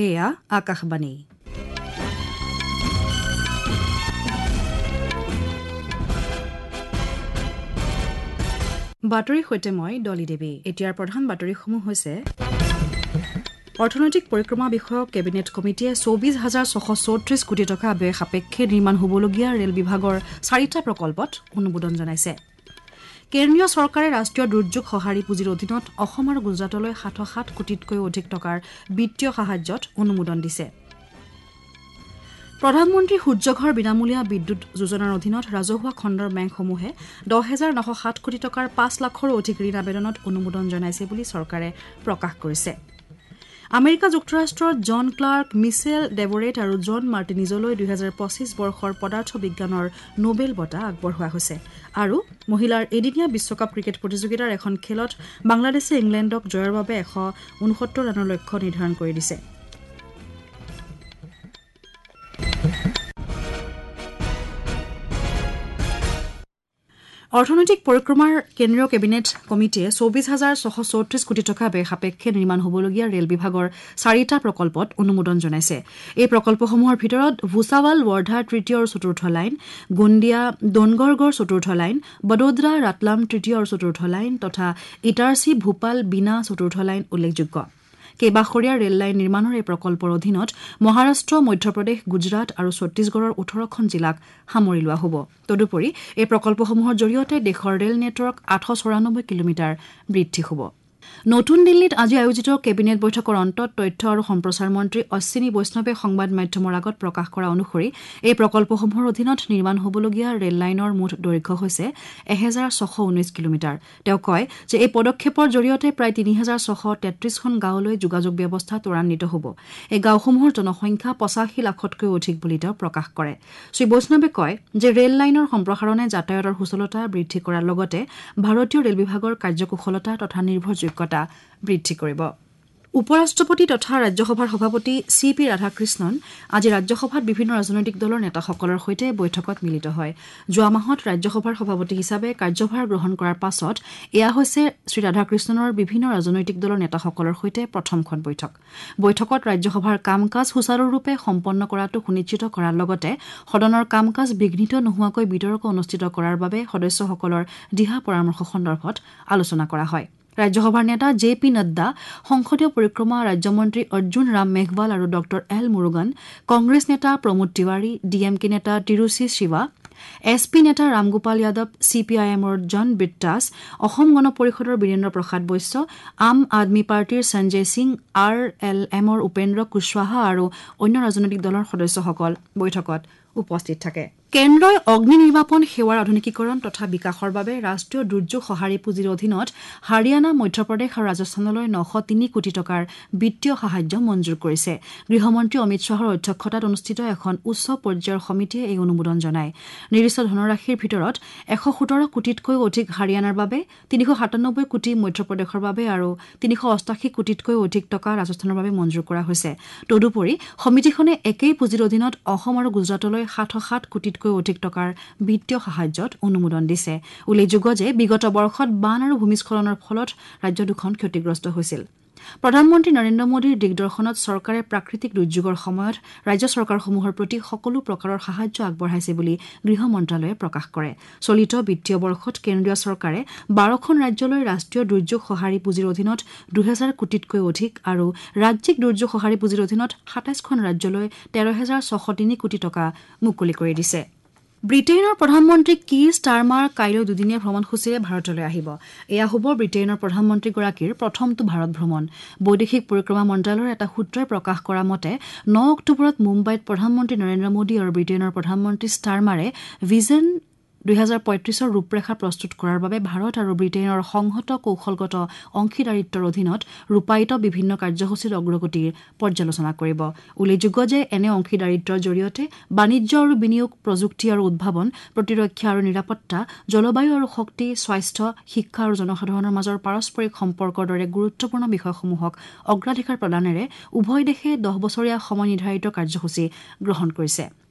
এয়া আকাশবাণী। বাতৰিৰ সৈতে মই ডলি দেৱী। এতিয়াৰ প্ৰধান বাতৰিসমূহ হৈছে: অৰ্থনৈতিক পৰিক্ৰমা বিষয়ক কেবিনেট কমিটিয়ে 24,634 কোটি টকা ব্যয় সাপেক্ষে নিৰ্মাণ হ'বলগীয়া ৰেল বিভাগৰ চাৰিটা প্ৰকল্পত অনুমোদন জনাইছে। কেন্দ্ৰীয় চৰকাৰে ৰাষ্ট্ৰীয় দুৰ্যোগ সঁহাৰি পুঁজিৰ অধীনত অসম আৰু গুজৰাটলৈ 707 কোটিতকৈও অধিক টকাৰ বিত্তীয় সাহায্যত অনুমোদন দিছে। প্ৰধানমন্ত্ৰী সূৰ্যঘৰ বিনামূলীয়া বিদ্যুৎ যোজনাৰ অধীনত ৰাজহুৱা খণ্ডৰ বেংকসমূহে 10,907 কোটি টকাৰ 5 লাখৰো অধিক ঋণ আবেদনত অনুমোদন জনাইছে বুলি চৰকাৰে প্ৰকাশ কৰিছে। আমেৰিকা যুক্তৰাষ্ট্ৰৰ জন ক্লাৰ্ক, মিছেল ডেভৰেট আৰু জন মাৰ্টিনিজলৈ 2025 বৰ্ষৰ পদাৰ্থ বিজ্ঞানৰ নোবেল বঁটা আগবঢ়োৱা হৈছে। আৰু মহিলাৰ এদিনীয়া বিশ্বকাপ ক্ৰিকেট প্ৰতিযোগিতাৰ এখন খেলত বাংলাদেশে ইংলেণ্ডক জয়ৰ বাবে 169 ৰানৰ লক্ষ্য নিৰ্ধাৰণ কৰি দিছে। অৰ্থনৈতিক পৰিক্ৰমাৰ কেন্দ্ৰীয় কেবিনেট কমিটিয়ে 24,634 কোটি টকা ব্যয় সাপেক্ষে নিৰ্মাণ হ'বলগীয়া ৰেল বিভাগৰ চাৰিটা প্ৰকল্পত অনুমোদন জনাইছে। এই প্ৰকল্পসমূহৰ ভিতৰত ভূছাৱাল ৱাৰ্ধা তৃতীয় আৰু চতুৰ্থ লাইন, গোণ্ডিয়া ডোনগৰগড় চতুৰ্থ লাইন, বদোদৰা ৰাটলাম তৃতীয় আৰু চতুৰ্থ লাইন তথা ইটাৰচি ভূপাল বিনা চতুৰ্থ লাইন উল্লেখযোগ্য। কেইবাশৰীয়া ৰেল লাইন নিৰ্মাণৰ এই প্ৰকল্পৰ অধীনত মহাৰাষ্ট্ৰ, মধ্যপ্ৰদেশ, গুজৰাট আৰু ছত্তীশগড়ৰ 18খন জিলাক সামৰি লোৱা হ'ব। তদুপৰি এই প্ৰকল্পসমূহৰ জৰিয়তে দেশৰ ৰেল নেটৱৰ্ক 894 কিলোমিটাৰ বৃদ্ধি হ'ব। নতুন দিল্লীত আজি আয়োজিত কেবিনেট বৈঠকৰ অন্তত তথ্য আৰু সম্প্ৰচাৰ মন্ত্ৰী অশ্বিনী বৈষ্ণৱে সংবাদ মাধ্যমৰ আগত প্ৰকাশ কৰা অনুসৰি এই প্ৰকল্পসমূহৰ অধীনত নিৰ্মাণ হ'বলগীয়া ৰেল লাইনৰ মুঠ দৈৰ্ঘ্য হৈছে 1,619 কিলোমিটাৰ। তেওঁ কয় যে এই পদক্ষেপৰ জৰিয়তে প্ৰায় 3,633খন গাঁৱলৈ যোগাযোগ ব্যৱস্থা ত্বৰান্বিত হ'ব। এই গাঁওসমূহৰ জনসংখ্যা 85 লাখতকৈও অধিক বুলি তেওঁ প্ৰকাশ কৰে। শ্ৰী বৈষ্ণৱে কয় যে ৰেল লাইনৰ সম্প্ৰসাৰণে যাতায়াতৰ সুচলতা বৃদ্ধি কৰাৰ লগতে ভাৰতীয় ৰেল বিভাগৰ কাৰ্যকুশলতা তথা নিৰ্ভৰযোগ্যতা বৃদ্ধি কৰিব। উপ ৰাষ্ট্ৰপতি তথা ৰাজ্যসভাৰ সভাপতি চি পি ৰাধাকৃষ্ণন আজি ৰাজ্যসভাত বিভিন্ন ৰাজনৈতিক দলৰ নেতাসকলৰ সৈতে বৈঠকত মিলিত হয়। যোৱা মাহত ৰাজ্যসভাৰ সভাপতি হিচাপে কাৰ্যভাৰ গ্ৰহণ কৰাৰ পাছত এয়া হৈছে শ্ৰী ৰাধাকৃষ্ণনৰ বিভিন্ন ৰাজনৈতিক দলৰ নেতাসকলৰ সৈতে প্ৰথমখন বৈঠক। বৈঠকত ৰাজ্যসভাৰ কাম কাজ সুচাৰুৰূপে সম্পন্ন কৰাটো সুনিশ্চিত কৰাৰ লগতে সদনৰ কাম কাজ বিঘ্নিত নোহোৱাকৈ বিতৰ্ক অনুষ্ঠিত কৰাৰ বাবে সদস্যসকলৰ দিহা পৰামৰ্শ সন্দৰ্ভত আলোচনা কৰা হয়। ৰাজ্যসভাৰ নেতা জে পি নাড্ডা, সংসদীয় পৰিক্ৰমা ৰাজ্যমন্ত্ৰী অৰ্জুন ৰাম মেঘৱাল আৰু ডঃ এল মুৰুগন, কংগ্ৰেছ নেতা Pramod Tiwari, D M K নেতা তিৰুচি শিৱা, এছ পি নেতা Ramgopal Yadav, C P I এমৰ জন বিট্টাছ, অসম গণ পৰিষদৰ বীৰেন্দ্ৰ প্ৰসাদ বৈশ্য, আম আদমী পাৰ্টীৰ সঞ্জয় সিং, আৰ এল এমৰ উপেন্দ্ৰ কুশৱাহা আৰু অন্য ৰাজনৈতিক দলৰ সদস্যসকল বৈঠকত উপস্থিত থাকে। কেন্দ্ৰই অগ্নি নিৰ্বাপন সেৱাৰ আধুনিকীকৰণ তথা বিকাশৰ বাবে ৰাষ্ট্ৰীয় দুৰ্যোগ সঁহাৰি পুঁজিৰ অধীনত হাৰিয়ানা, মধ্যপ্ৰদেশ আৰু ৰাজস্থানলৈ 903 কোটি টকাৰ বিত্তীয় সাহায্য মঞ্জুৰ কৰিছে। গৃহমন্ত্ৰী অমিত শ্বাহৰ অধ্যক্ষতাত অনুষ্ঠিত এখন উচ্চ পৰ্যায়ৰ সমিতিয়ে এই অনুমোদন জনায়। নিৰ্দিষ্ট ধনৰাশিৰ ভিতৰত 117 কোটিতকৈও অধিক হাৰিয়ানাৰ বাবে, 397 কোটি মধ্যপ্ৰদেশৰ বাবে আৰু 388 কোটিতকৈও অধিক টকা ৰাজস্থানৰ বাবে মঞ্জুৰ কৰা হৈছে। তদুপৰি সমিতিখনে একেই পুঁজিৰ অধীনত অসম আৰু গুজৰাটলৈ 707 কোটিতকৈ অধিক টকাৰ বিত্তীয় সাহায্যত অনুমোদন দিছে। উল্লেখযোগ্য যে বিগত বৰ্ষত বান আৰু ভূমিস্খলনৰ ফলত ৰাজ্য দুখন ক্ষতিগ্ৰস্ত হৈছিল। প্ৰধানমন্ত্ৰী নৰেন্দ্ৰ মোদীৰ দিগদৰ্শনত চৰকাৰে প্ৰাকৃতিক দুৰ্যোগৰ সময়ত ৰাজ্য চৰকাৰসমূহৰ প্ৰতি সকলো প্ৰকাৰৰ সাহায্য আগবঢ়াইছে বুলি গৃহ মন্ত্ৰালয়ে প্ৰকাশ কৰে। চলিত বিত্তীয় বৰ্ষত কেন্দ্ৰীয় চৰকাৰে 12খন ৰাজ্যলৈ ৰাষ্ট্ৰীয় দুৰ্যোগ সঁহাৰি পুঁজিৰ অধীনত 2,000 কোটিতকৈ অধিক আৰু ৰাজ্যিক দুৰ্যোগ সঁহাৰি পুঁজিৰ অধীনত 27খন ৰাজ্যলৈ 13,603 কোটি টকা মুকলি কৰি দিছে। ব্ৰিটেইনৰ প্ৰধানমন্ত্ৰী কীৰ ষ্টাৰমাৰ কাইলৈ দুদিনীয়া ভ্ৰমণসূচীৰে ভাৰতলৈ আহিব। এয়া হ'ব ব্ৰিটেইনৰ প্ৰধানমন্ত্ৰীগৰাকীৰ প্ৰথমটো ভাৰত ভ্ৰমণ। বৈদেশিক পৰিক্ৰমা মন্ত্ৰালয়ৰ এটা সূত্ৰই প্ৰকাশ কৰা মতে 9 অক্টোবৰত মুম্বাইত প্ৰধানমন্ত্ৰী নৰেন্দ্ৰ মোদী আৰু ব্ৰিটেইনৰ প্ৰধানমন্ত্ৰী ষ্টাৰমাৰে ভিজন 2035ৰ ৰূপৰেখা প্ৰস্তুত কৰাৰ বাবে ভাৰত আৰু ব্ৰিটেইনৰ সংহত কৌশলগত অংশীদাৰিত্বৰ অধীনত ৰূপায়িত বিভিন্ন কাৰ্যসূচীৰ অগ্ৰগতিৰ পৰ্যালোচনা কৰিব। উল্লেখযোগ্য যে এনে অংশীদাৰিত্বৰ জৰিয়তে বাণিজ্য আৰু বিনিয়োগ, প্ৰযুক্তি আৰু উদ্ভাৱন, প্ৰতিৰক্ষা আৰু নিৰাপত্তা, জলবায়ু আৰু শক্তি, স্বাস্থ্য, শিক্ষা আৰু জনসাধাৰণৰ মাজৰ পাৰস্পৰিক সম্পৰ্কৰ দৰে গুৰুত্বপূৰ্ণ বিষয়সমূহক অগ্ৰাধিকাৰ প্ৰদানেৰে উভয় দেশে 10 বছৰীয়া সময় নিৰ্ধাৰিত কাৰ্যসূচী গ্ৰহণ কৰিছে।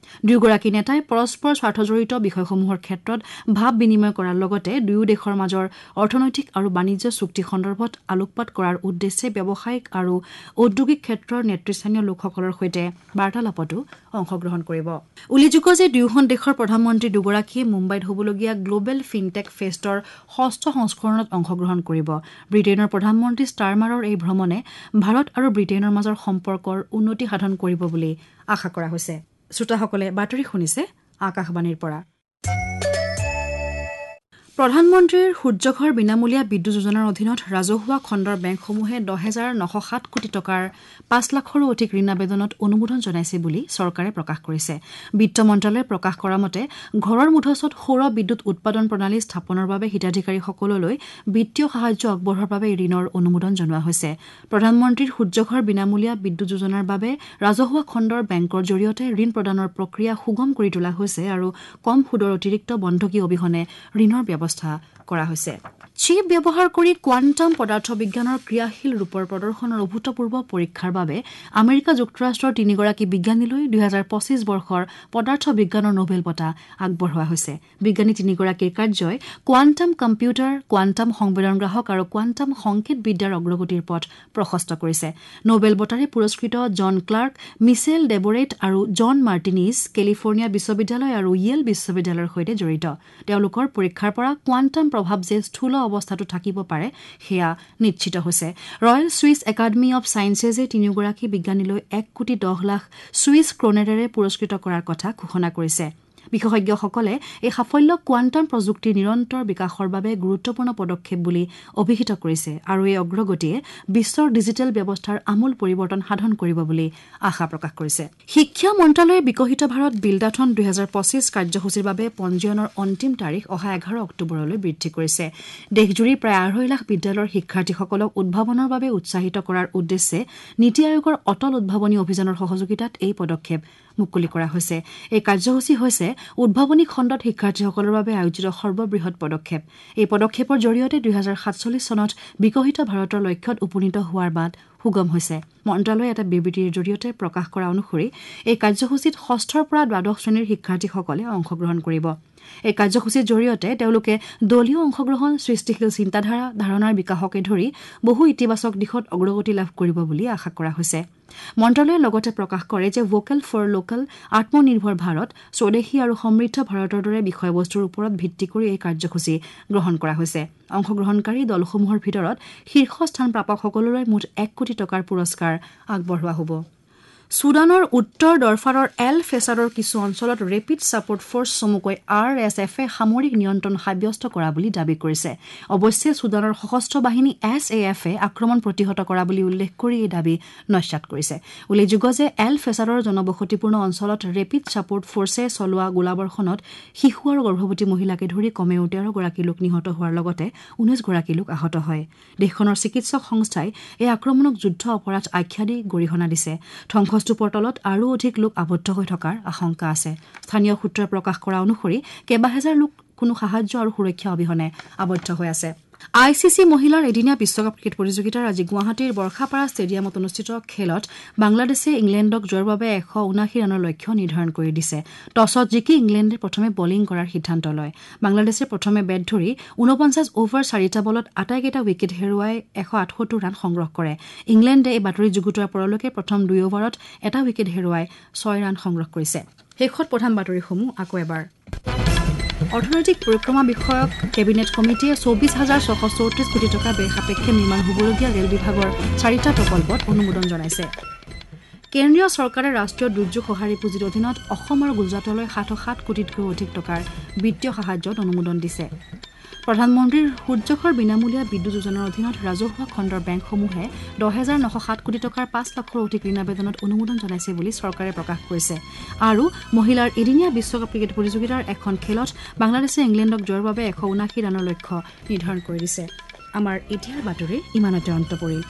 দুয়োগৰাকী নেতাই পৰস্পৰ স্বাৰ্থজড়িত বিষয়সমূহৰ ক্ষেত্ৰত ভাৱ বিনিময় কৰাৰ লগতে দুয়ো দেশৰ মাজৰ অৰ্থনৈতিক আৰু বাণিজ্য চুক্তি সন্দৰ্ভত আলোকপাত কৰাৰ উদ্দেশ্যে ব্যৱসায়িক আৰু ঔদ্যোগিক ক্ষেত্ৰৰ নেতৃস্থানীয় লোকসকলৰ সৈতে বাৰ্তালাপতো অংশগ্ৰহণ কৰিব। উল্লেখযোগ্য যে দুয়োখন দেশৰ প্ৰধানমন্ত্ৰী দুগৰাকীয়ে মুম্বাইত হ'বলগীয়া গ্ল'বেল ফিনটেক ফেষ্টৰ ষষ্ঠ সংস্কৰণত অংশগ্ৰহণ কৰিব। ব্ৰিটেইনৰ প্ৰধানমন্ত্ৰী ষ্টাৰমাৰৰ এই ভ্ৰমণে ভাৰত আৰু ব্ৰিটেইনৰ মাজৰ সম্পৰ্কৰ উন্নতি সাধন কৰিব বুলি আশা কৰা হৈছে। শ্ৰোতাসকলে বাতৰি শুনিছে আকাশবাণীৰ পৰা। প্ৰধানমন্ত্ৰীৰ সূৰ্যঘৰ বিনামূলীয়া বিদ্যুৎ যোজনাৰ অধীনত ৰাজহুৱা খণ্ডৰ বেংকসমূহে 10,907 কোটি টকাৰ 5 লাখৰো অধিক ঋণ আবেদনত অনুমোদন জনাইছে বুলি চৰকাৰে প্ৰকাশ কৰিছে। বিত্ত মন্ত্ৰালয়ে প্ৰকাশ কৰা মতে ঘৰৰ মুধচত সৌৰ বিদ্যুৎ উৎপাদন প্ৰণালী স্থাপনৰ বাবে হিতাধিকাৰীসকললৈ বিত্তীয় সাহায্য আগবঢ়োৱাৰ বাবে ঋণৰ অনুমোদন জনোৱা হৈছে। প্ৰধানমন্ত্ৰীৰ সূৰ্যঘৰ বিনামূলীয়া বিদ্যুৎ যোজনাৰ বাবে ৰাজহুৱা খণ্ডৰ বেংকৰ জৰিয়তে ঋণ প্ৰদানৰ প্ৰক্ৰিয়া সুগম কৰি তোলা হৈছে আৰু কম সুদৰ অতিৰিক্ত বন্ধকী অবিহনে ঋণৰ ব্যৱস্থা কৰা হৈছে। চিপ ব্যৱহাৰ কৰি কোৱাণ্টাম পদাৰ্থ বিজ্ঞানৰ ক্ৰিয়াশীল ৰূপৰ প্ৰদৰ্শনৰ অভূতপূৰ্ব পৰীক্ষাৰ বাবে আমেৰিকা যুক্তৰাষ্ট্ৰৰ তিনিগৰাকী বিজ্ঞানীলৈ 2025 বৰ্ষৰ পদাৰ্থ বিজ্ঞানৰ নোবেল বঁটা আগবঢ়োৱা হৈছে। বিজ্ঞানী তিনিগৰাকীৰ কাৰ্যই কোৱাণ্টাম কম্পিউটাৰ, কোৱাণ্টাম সংবেদনগ্ৰাহক আৰু কোৱাণ্টাম সংকেত বিদ্যাৰ অগ্ৰগতিৰ পথ প্ৰশস্ত কৰিছে। নোবেল বঁটাৰে পুৰস্কৃত জন ক্লাৰ্ক, মিছেল ডেবৰেট আৰু জন মাৰ্টিনিজ কেলিফৰ্ণিয়া বিশ্ববিদ্যালয় আৰু য়েল বিশ্ববিদ্যালয়ৰ সৈতে জড়িত। তেওঁলোকৰ পৰীক্ষাৰ পৰা কোৱাণ্টাম প্ৰভাৱ যে স্থূল অৱস্থাতো থাকিব পাৰে সেয়া নিশ্চিত হৈছে। ৰয়েল ছুইচ একাডেমী অৱ ছায়েন্সেছে তিনিওগৰাকী বিজ্ঞানীলৈ 1 কোটি 10 লাখ ছুইচ ক্ৰোনেৰেৰে পুৰস্কৃত কৰাৰ কথা ঘোষণা কৰিছে। বিশেষজ্ঞসকলে এই সাফল্যক কোৱাণ্টাম প্ৰযুক্তিৰ নিৰন্তৰ বিকাশৰ বাবে গুৰুত্বপূৰ্ণ পদক্ষেপ বুলি অভিহিত কৰিছে আৰু এই অগ্ৰগতিয়ে বিশ্বৰ ডিজিটেল ব্যৱস্থাৰ আমূল পৰিৱৰ্তন সাধন কৰিব বুলি আশা প্ৰকাশ কৰিছে। শিক্ষা মন্ত্ৰালয়ে বিকশিত ভাৰত বিল্ডাথন 2025 কাৰ্যসূচীৰ বাবে পঞ্জীয়নৰ অন্তিম তাৰিখ অহা 11 অক্টোবৰলৈ বৃদ্ধি কৰিছে। দেশজুৰি প্ৰায় 2.5 লাখ বিদ্যালয়ৰ শিক্ষাৰ্থীসকলক উদ্ভাৱনৰ বাবে উৎসাহিত কৰাৰ উদ্দেশ্যে নীতি আয়োগৰ অটল উদ্ভাৱনী অভিযানৰ সহযোগিতাত এই পদক্ষেপ মুকলি কৰা হৈছে। এই কাৰ্যসূচী হৈছে উদ্ভাৱনী খণ্ডত শিক্ষাৰ্থীসকলৰ বাবে আয়োজিত সৰ্ববৃহৎ পদক্ষেপ। এই পদক্ষেপৰ জৰিয়তে 2047 চনত বিকশিত ভাৰতৰ লক্ষ্যত উপনীত হোৱাৰ বাট সুগম হৈছে। মন্ত্ৰালয়ে এটা বিবৃতিৰ জৰিয়তে প্ৰকাশ কৰা অনুসৰি এই কাৰ্যসূচীত ষষ্ঠৰ পৰা দ্বাদশ শ্ৰেণীৰ শিক্ষাৰ্থীসকলে অংশগ্ৰহণ কৰিব। এই কাৰ্যসূচীৰ জৰিয়তে তেওঁলোকে দলীয় অংশগ্ৰহণ, সৃষ্টিশীল চিন্তাধাৰা, ধাৰণাৰ বিকাশকে ধৰি বহু ইতিবাচক দিশত অগ্ৰগতি লাভ কৰিব বুলি আশা কৰা হৈছে। মন্ত্ৰালয়ে লগতে প্ৰকাশ কৰে যে ভোকেল ফৰ লোকেল, আত্মনিৰ্ভৰ ভাৰত, স্বদেশী আৰু সমৃদ্ধ ভাৰতৰ দৰে বিষয়বস্তুৰ ওপৰত ভিত্তি কৰি এই কাৰ্যসূচী গ্ৰহণ কৰা হৈছে। অংশগ্ৰহণকাৰী দলসমূহৰ ভিতৰত শীৰ্ষ স্থান প্ৰাপকসকললৈ মুঠ 1 কোটি টকাৰ পুৰস্কাৰ আগবঢ়োৱা হ'ব। ছুডানৰ উত্তৰ দৰফাৰৰ এল ফেছাৰৰ কিছু অঞ্চলত ৰেপিড ছাপোৰ্ট ফ'ৰ্চ চমুকৈ আৰ এছ এফে সামৰিক নিয়ন্ত্ৰণ সাব্যস্ত কৰা বুলি দাবী কৰিছে। অৱশ্যে ছুডানৰ সশস্ত্ৰ বাহিনী এছ এ এফে আক্ৰমণ প্ৰতিহত কৰা বুলি উল্লেখ কৰি এই দাবী নস্যাৎ কৰিছে। উল্লেখযোগ্য যে এল ফেছাৰৰ জনবসতিপূৰ্ণ অঞ্চলত ৰেপিড ছাপোৰ্ট ফ'ৰ্চে চলোৱা গোলাবৰ্ষণত শিশু আৰু গৰ্ভৱতী মহিলাকে ধৰি কমেও 13গৰাকী লোক নিহত হোৱাৰ লগতে 19গৰাকী লোক আহত হয়। দেশখনৰ চিকিৎসক সংস্থাই এই আক্ৰমণক যুদ্ধ অপৰাধ আখ্যা দি গৰিহণা দিছে। ধ্বংসস্তূপৰ তলত আৰু অধিক লোক আবদ্ধ হৈ থকাৰ আশংকা আছে। স্থানীয় সূত্ৰই প্ৰকাশ কৰা অনুসৰি কেইবাহেজাৰ লোক কোনো সাহায্য আৰু সুৰক্ষা অবিহনে আবদ্ধ হৈ আছে। I C C মহিলাৰ এদিনীয়া বিশ্বকাপ ক্ৰিকেট প্ৰতিযোগিতাৰ আজি গুৱাহাটীৰ বৰ্ষাপাৰা ষ্টেডিয়ামত অনুষ্ঠিত খেলত বাংলাদেশে ইংলেণ্ডক জয়ৰ বাবে 179 ৰানৰ লক্ষ্য নিৰ্ধাৰণ কৰি দিছে। টছত জিকি ইংলেণ্ডে প্ৰথমে বলিং কৰাৰ সিদ্ধান্ত লয়। বাংলাদেশে প্ৰথমে বেট ধৰি 49 অভাৰ 4টা বলত আটাইকেইটা উইকেট হেৰুৱাই 178 ৰান সংগ্ৰহ কৰে। ইংলেণ্ডে এই বাতৰি যুগুতোৱাৰ পৰলৈকে প্ৰথম 2 অভাৰত এটা উইকেট হেৰুৱাই 6 ৰান সংগ্ৰহ কৰিছে। শেষত প্ৰধান বাতৰিসমূহ আকৌ এবাৰ। অৰ্থনৈতিক পৰিক্ৰমা বিষয়ক কেবিনেট কমিটিয়ে 24,634 কোটি টকা ব্যয় সাপেক্ষে নিৰ্মাণ হ'বলগীয়া ৰেল বিভাগৰ 4টা প্ৰকল্পত অনুমোদন জনাইছে। কেন্দ্ৰীয় চৰকাৰে ৰাষ্ট্ৰীয় দুৰ্যোগ সঁহাৰি পুঁজিৰ অধীনত অসম আৰু গুজৰাটলৈ 707 কোটিতকৈও অধিক টকাৰ বিত্তীয় সাহায্যত অনুমোদন দিছে। প্ৰধানমন্ত্ৰীৰ সূৰ্যঘৰ বিনামূলীয়া বিদ্যুৎ যোজনাৰ অধীনত ৰাজহুৱা খণ্ডৰ বেংকসমূহে 10,907 কোটি টকাৰ 5 লাখৰো অধিক ঋণ আবেদনত অনুমোদন জনাইছে বুলি চৰকাৰে প্ৰকাশ কৰিছে। আৰু মহিলাৰ এদিনীয়া বিশ্বকাপ ক্ৰিকেট প্ৰতিযোগিতাৰ এখন খেলত বাংলাদেশে ইংলেণ্ডক জয়ৰ বাবে 179 ৰানৰ লক্ষ্য নিৰ্ধাৰণ কৰি দিছে। আমাৰ এতিয়াৰ বাতৰি ইমানতে অন্ত পৰিল।